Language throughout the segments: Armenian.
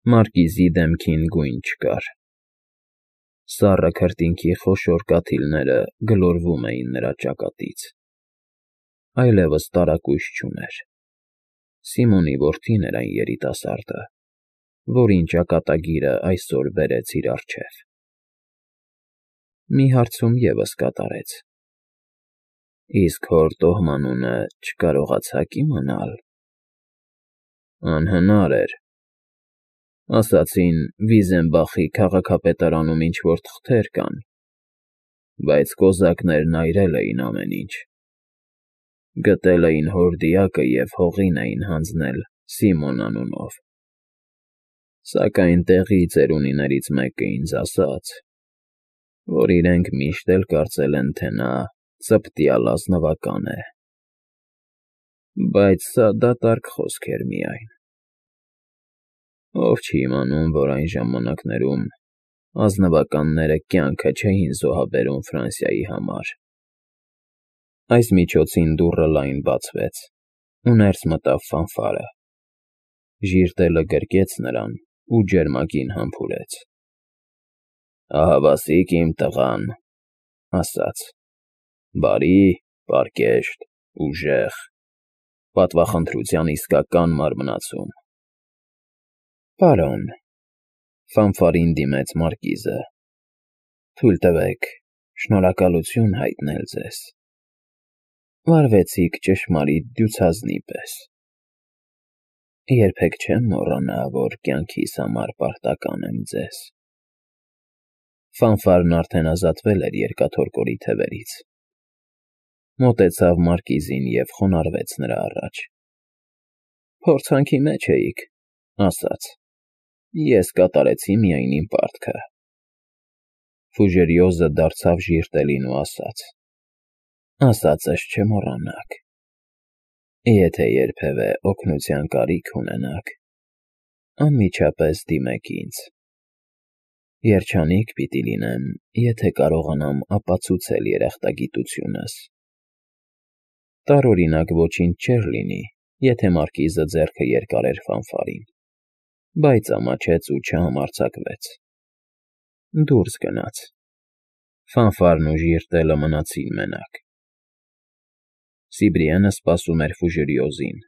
Մարկիզի դեմքին գույն չկար։ Սառը քրտինքի խոշոր կաթիլները գլորվում էին նրա ճակատից։ Այլևս տարակույս չուներ։ Սիմոնի որդին էր այն երիտասարդը, որին ճակատագիրը այսօր բերեց իր առջև։ Մի հարցում ևս կատարեց. Իսկ հոր տոհմանունը չկարողացա՞ք իմանալ։ Անհնար էր։ Ասացին Վիզենբախի քաղաքապետարանում ինչ-որ թղթեր կան, բայց կոզակներն այրել էին ամեն ինչ։ Գտել էին հոր դիակը և հողին էին հանձնել Սիմոն անունով։ Սակայն տեղի ծերունիներից մեկը ինձ ասաց, որ իրենք միշտ էլ կարծել են, թե նա ծպտյալ ազնվական է։ Բայց սա դատարկ խոսք էր միայն։ Ով չի իմանում, որ այն ժամանակներում ազնվականները կյանքը չէին զոհաբերում Ֆրանսիայի համար։ Այս միջոցին դուռը լայն բացվեց, ու ներս մտավ Ֆանֆարը։ Ժիրտելը գրկեց նրան ու ջերմագին համբուրեց։ Ահավասիկ իմ տղան, ասաց, բարի, պարկեշտ, ուժեղ, պատվախնդրության իսկական մարմնացում։ Պարոն, Ֆանֆարին դիմեց մարկիզը, թույլ տվեք շնորհակալություն հայտնել ձեզ։ Վարվեցիք ճշմարիտ դյուցազնի պես։ Երբեք չեմ մոռանա, որ կյանքիս համար պարտական եմ ձեզ։ Ֆանֆարն արդեն ազատվել էր երկաթորկորի թևերից։ Մոտեցավ մարկիզին և խոնարհվեց նրա առաջ։ Փորձանքի մեջ էիք, ասաց։ Ես կատարեցի միայն իմ պարտքը։ Ֆուժերիոզը դարձավ ժիրտելին ու ասաց. ասածս չմոռանաք։ Եթե երբևէ օգնության կարիք ունենաք, անմիջապես դիմեք ինձ։ Երջանիկ պիտի լինեմ, եթե կարողանամ ապացուցել երախտագիտությունս։ Տարօրինակ ոչինչ չէր լինի, եթե մարկիզը ձեռքը երկարեր Ֆանֆարին, բայց ամաչեց ու չհամարձակվեց։ Դուրս գնաց։ Ֆանֆարն ու ժիրտելը մնացին մենակ։ Սիբրիենը սպասում էր Ֆուժերիոզին։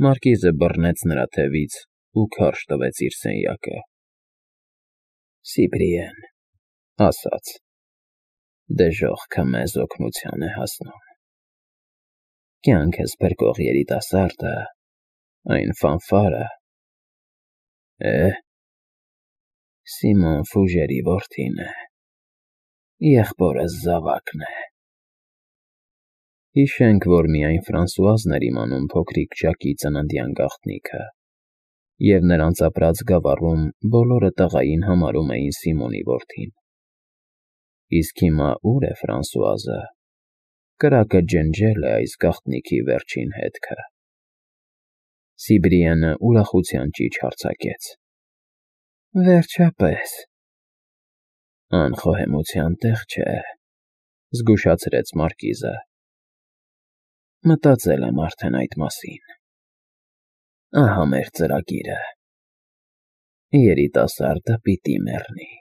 Մարկիզը բռնեց նրա թևից ու քարշ տվեց իր սենյակը։ Սիբրիեն, ասաց, դժոխքը մեզ օգնության է հասնում։ Կյանքս փրկող երիտասարդը, այն Ֆանֆարը, Սիմոն Ֆուժերի որդին է, եղբորս զավակն է։ Հիշենք, որ միայն Ֆրանսուազն էր իմանում փոքրիկ Ժակի ծննդյան գաղտնիքը, և նրանց ապրած գավառում բոլորը տղային համարում էին Սիմոնի որդին։ Իսկ հիմա ո՞ւր է Ֆրանսուազը։ Կրակը ջնջել է այս գաղտնիքի վերջին հետքը։ Սիբրիենը ուրախության ճիչ հարձակեց։ Վերջապես։ Անխոհեմության տեղ չէ, զգուշացրեց մարկիզը։ Մտածել եմ արդեն այդ մասին։ Ահա մեր ծրագիրը։ Երիտասարդը պիտի մեռնի։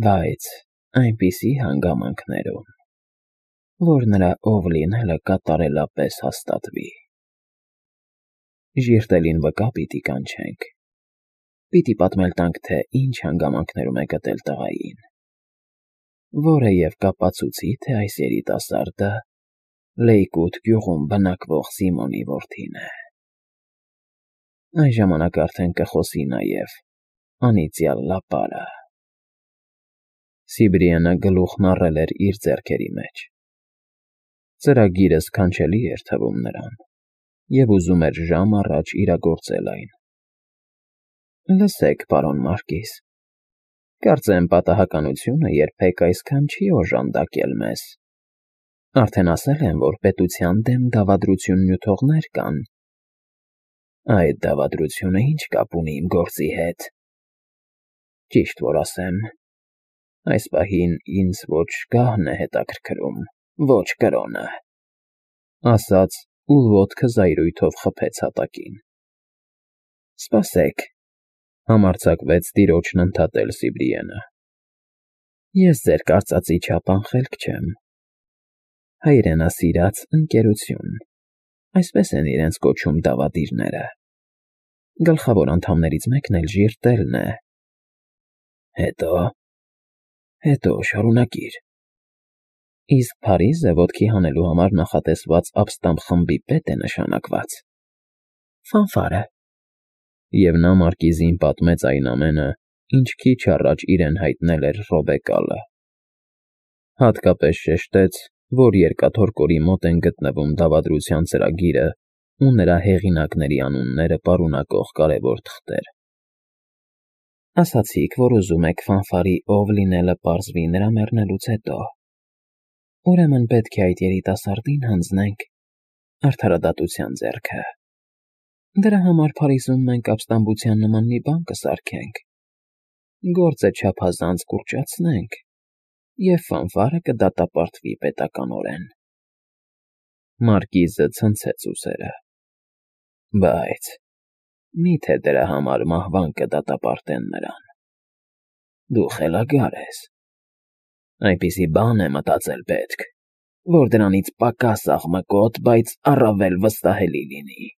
Բայց այնպիսի հանգամանքներում, որ նրա ով լինելը կատարելապես հաստատվի։ Ժիրտելին վկա պիտի կանչենք։ Պիտի պատմել տանք, թե ինչ հանգամանքներում է գտել տղային, որը և կապացուցի, թե այս երիտասարդը Լեյկութ գյուղում բնակվող Սիմոնի որդին է։ Այն ժամանակ արդեն կխոսի նաև անիծյալ լապարը։ Սիբրիենը գլուխն առել էր իր ձեռքերի մեջ։ Ծրագիրը սքանչելի էր թվում նրան, և ուզում էր ժամ առաջ իրագործել այն։ Լսեք, պարոն մարկիզ, կարծեմ պատահականությունը երբեք այսքան չի օժանդակել մեզ։ Արդեն ասել եմ, որ պետության դեմ դավադրություն նյութողներ կան։ Այդ դավադրությունը ինչ կապ ունի իմ գործի հետ։ Ճիշտ որ ասեմ, այս պահին ինձ ոչ գահն է հետաքրքրում, ոչ կրոնը, ասաց ու ոտքը զայրույթով խփեց հատակին։ Սպասեք, համարձակվեց տիրոջն ընդհատել Սիբրիենը։ Ես ձեր կարծածի չափ անխելք չեմ։ Հայրենասիրած ընկերություն, այսպես են իրենց կոչում դավադիրները։ Գլխավոր անդամներից մեկն էլ Ժիրտելն է։ Հետո շարունակիր։ Իսկ Փարիզը ոտքի հանելու համար նախատեսված ապստամբ խմբի պետ է նշանակված։ Ֆանֆարը։ Եվ նա մարկիզին պատմեց այն ամենը, ինչ քիչ առաջ իրեն հայտնել էր Ռոբեկալը։ Հատկապես շեշտեց, որ երկաթորկորի մոտ են գտնվում դավադրության ծրագիրը ու նրա հեղինակների անունները պարունակող կարևոր թղթեր։ Ասացիք, որ ուզում եք Ֆանֆարի ով լինելը պարզվի նրա մեռնելուց հետո։ Ուրեմն պետք է այդ երիտասարդին հանձնենք արդարադատության ձեռքը։ Դրա համար Փարիզում մենք ապստամբության նման մի բան կսարքենք, գործը չափազանց կուրճացնենք, և Ֆանֆարը կդատապարտվի պետականորեն։ Մարկիզը ցնցեց ուսերը։ Բայց միթե դրա համար մահվան կդատապարտեն նրան։ Դու խելագար ես։ Այնպիսի բան է մտածել պետք, որ դրանից պակաս աղմկոտ, բայց առավել վստահելի լինի։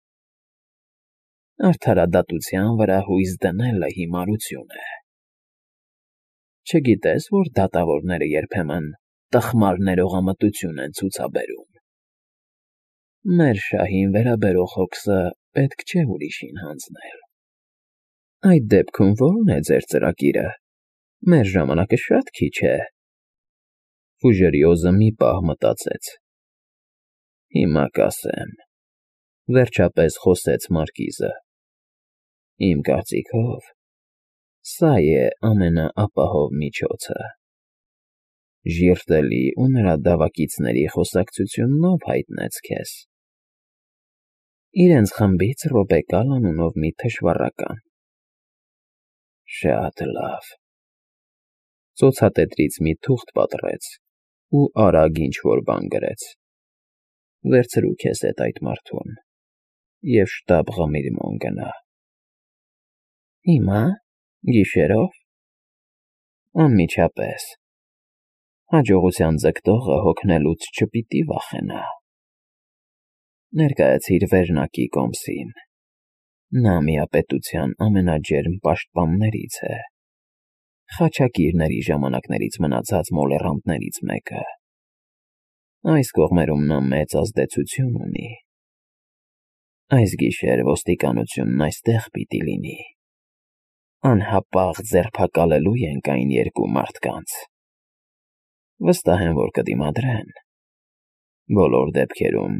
Արդարադատության վրա հույս դնելը հիմարություն է։ Չգիտես, որ դատավորները երբեմն տխմար ներողամտություն են ցուցաբերում։ Մեր շահին վերաբերող հոգսը պետք չէ ուրիշին հանձնել։ Այդ դեպքում ո՞րն է ձեր ծրագիրը։ Մեր ժամանակը շատ քիչ է։ Ֆուժերիոզը մի պահ մտածեց։ Հիմա կասեմ, վերջապես խոսեց մարկիզը։ Իմ կարծիքով, սա է ամենաապահով միջոցը։ Ժիրտելի ու նրա դավակիցների խոսակցություննով հայտնեց քեզ։ Իրենց խմբից Ռոբեկալ անունով մի թշվառական։ Շատ լավ։ Ծոցատետրից մի թուղթ պատռեց ու արագ ինչ-որ բան գրեց։ Վերցրու քեզ հետ այդ մարդուն և շտապ Ղմիլմոն գնա։ Հիմա՞, գիշերո՞վ։ Անմիջապես։ Հաջողության ձգտողը հոգնելուց չպիտի վախենա։ Ներկայացիր վերնակի կոմսին։ Նա միապետության ամենաջերմ պաշտպաններից է։ Խաչակիրների ժամանակներից մնացած մոլեռանդներից մեկը։ Այս կողմերում նա մեծ ազդեցություն ունի։ Այս գիշեր ոստիկանությունն այստեղ պիտի լինի։ Անհապաղ ձերբակալելու ենք այն երկու մարդկանց։ Վստահ եմ, որ կդիմադրեն։ Բոլոր դեպքերում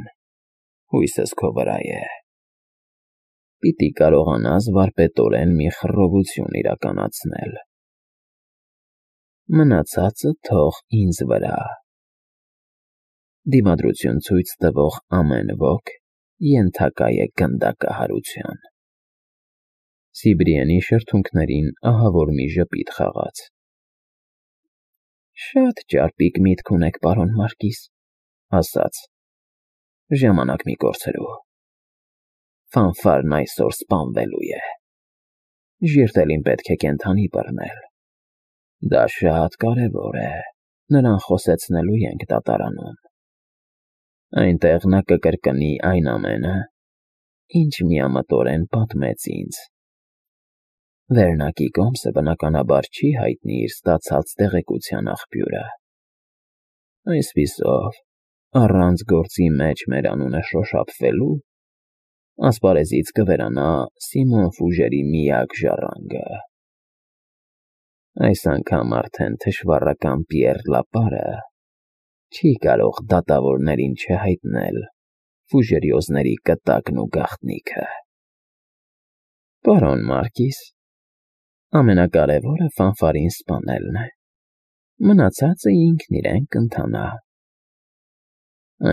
հույսս քո վրա է։ Պիտի կարողանաս վարպետորեն մի խռովություն իրականացնել։ Մնացածը թող ինձ վրա։ Դիմադրություն ցույց տվող ամեն ոք ենթակա է գնդակահարության։ Սիբրիենի շրթունքներին ահավոր մի ժպիտ խաղաց։ Շատ ճարպիկ միտք ունեք, պարոն Մարկիզ, ասաց։ Ժամանակ մի կորցրու։ Ֆանֆարն այսօր սպանվելու է։ Ժիրտելին պետք է կենդանի բռնել։ Դա շատ կարևոր է։ Նրան խոսեցնելու ենք դատարանում։ Այնտեղ նա կկրկնի այն ամենը, ինչ միամտորեն պատմեց ինձ։ Վերնակի կոմսը բնականաբար չի հայտնի իր ստացած տեղեկության աղբյուրը։ Այսպիսով, առանց գործի մեջ մեր անունը շոշափվելու, ասպարեզից կվերանա Սիմոն Ֆուժերի միակ ժառանգը։ Այս անգամ արդեն թշվառական Պիեռ Լապարը չի կարող դատավորներին չհայտնել Ֆուժերիոզների կտակն ու գաղտնիքը։ Պարոն Մարկիզ, ամենակարևորը Ֆանֆարին սպանելն է։ Մնացածը ինքն իրեն կընթանա։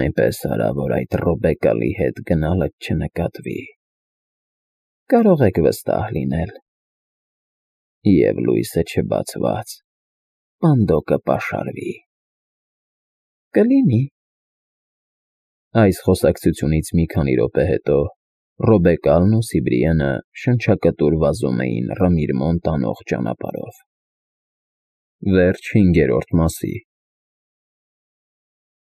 Այնպես արա, որ այդ Ռոբեկալի հետ գնալդ չնկատվի։ Կարող եք վստահ լինել։ Եվ լույսը չբացված, պանդոկը պաշարվի։ Կլինի։ Այս խոսակցությունից մի քանի րոպե հետո Ռոբեկալն ու Սիբրիենը շնչակտուր վազում էին Ռամիրմոն տանող ճանապարհով։ Վերջ հինգերորդ մասի։